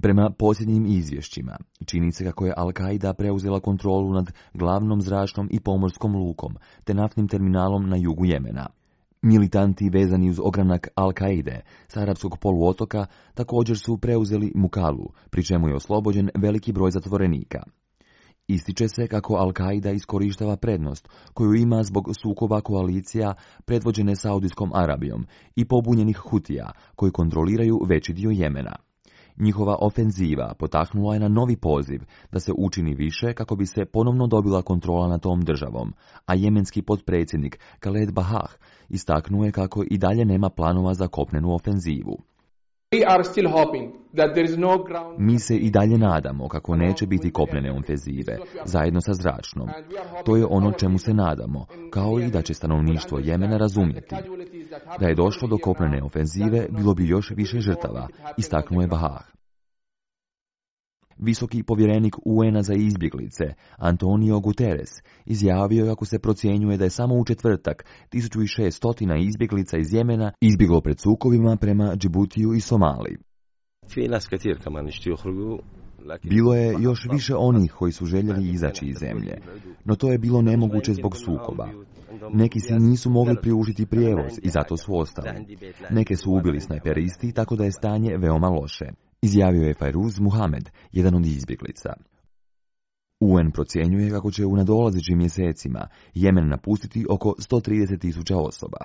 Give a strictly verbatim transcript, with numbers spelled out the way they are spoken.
Prema posljednjim izvješćima, čini se kako je Al-Kaida preuzela kontrolu nad glavnom zračnom i pomorskom lukom, te naftnim terminalom na jugu Jemena. Militanti vezani uz ogranak Al-Kaide s arapskog poluotoka također su preuzeli Mukalu, pri čemu je oslobođen veliki broj zatvorenika. Ističe se kako Al-Kaida iskorištava prednost koju ima zbog sukoba koalicija predvođene Saudijskom Arabijom i pobunjenih Hutija koji kontroliraju veći dio Jemena. Njihova ofenziva potaknula je na novi poziv da se učini više kako bi se ponovno dobila kontrola nad tom državom, a jemenski potpredsjednik Khaled Bahah istaknuo je kako i dalje nema planova za kopnenu ofenzivu. Mi se i dalje nadamo kako neće biti kopnene ofenzive, zajedno sa zračnom. To je ono čemu se nadamo, kao i da će stanovništvo Jemena razumjeti. Da je došlo do kopnene ofenzive, bilo bi još više žrtava, istaknuo je Bahah. Visoki povjerenik U N-a za izbjeglice, Antonio Guterres, izjavio je kako se procjenjuje da je samo u četvrtak tisuću šesto izbjeglica iz Jemena izbjeglo pred sukobima prema Džibutiju i Somaliji. Bilo je još više onih koji su željeli izaći iz zemlje, no to je bilo nemoguće zbog sukoba. Neki si nisu mogli priužiti prijevoz i zato su ostali. Neke su ubili snajperisti, tako da je stanje veoma loše, izjavio je Fairuz Muhamed, jedan od izbjeglica. U N procjenjuje kako će u nadolazećim mjesecima Jemen napustiti oko sto trideset tisuća osoba.